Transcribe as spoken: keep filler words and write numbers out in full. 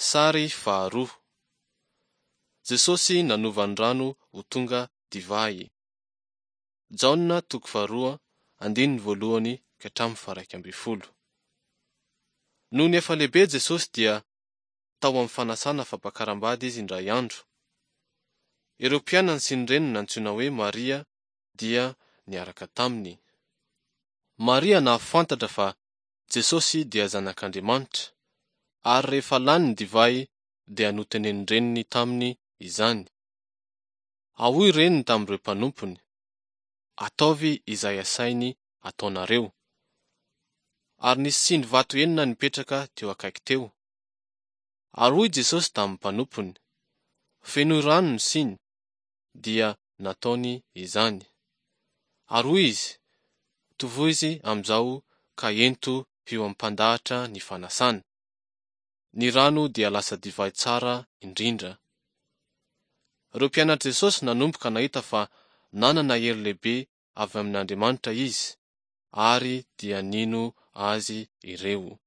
Sary faharoa. Jesosy nanova ny rano ho tonga divay. Jaona toko faharoa andininy voalohany ka hatramin'ny faha-iraika ambin'ny folo. Nony efa lehibe Jesosy dia tao amin'ny fanasana fampakaram-bady izy indray andro. Ireo mpianany sy ny reniny nantsoina hoe Maria dia niaraka taminy. Maria nahafantatra fa Jesosy dia Zanak'Andriamanitra, ary rehefa lany ny divay dia notenenin-dreniny taminy izany. Ary hoy reniny tamin'ireo mpanompony, Ataovy izay asainy ataonareo. Ary nisy siny vato enina nipetraka teo akaiky teo. Ary hoy Jesosy tamin'ny mpanompony, Fenoy rano ny siny, dia nataony izany. Ary hoy izy, Tovozy amin'izao ka ento eo amin'ny mpandahatra ny fanasana. Ny rano dia lasa divay tsara indrindra. Ireo mpianatr'i Jesosy nanomboka nahita fa nanana hery lehibe avy amin'Andriamanitra izy, ary dia nino azy ireo.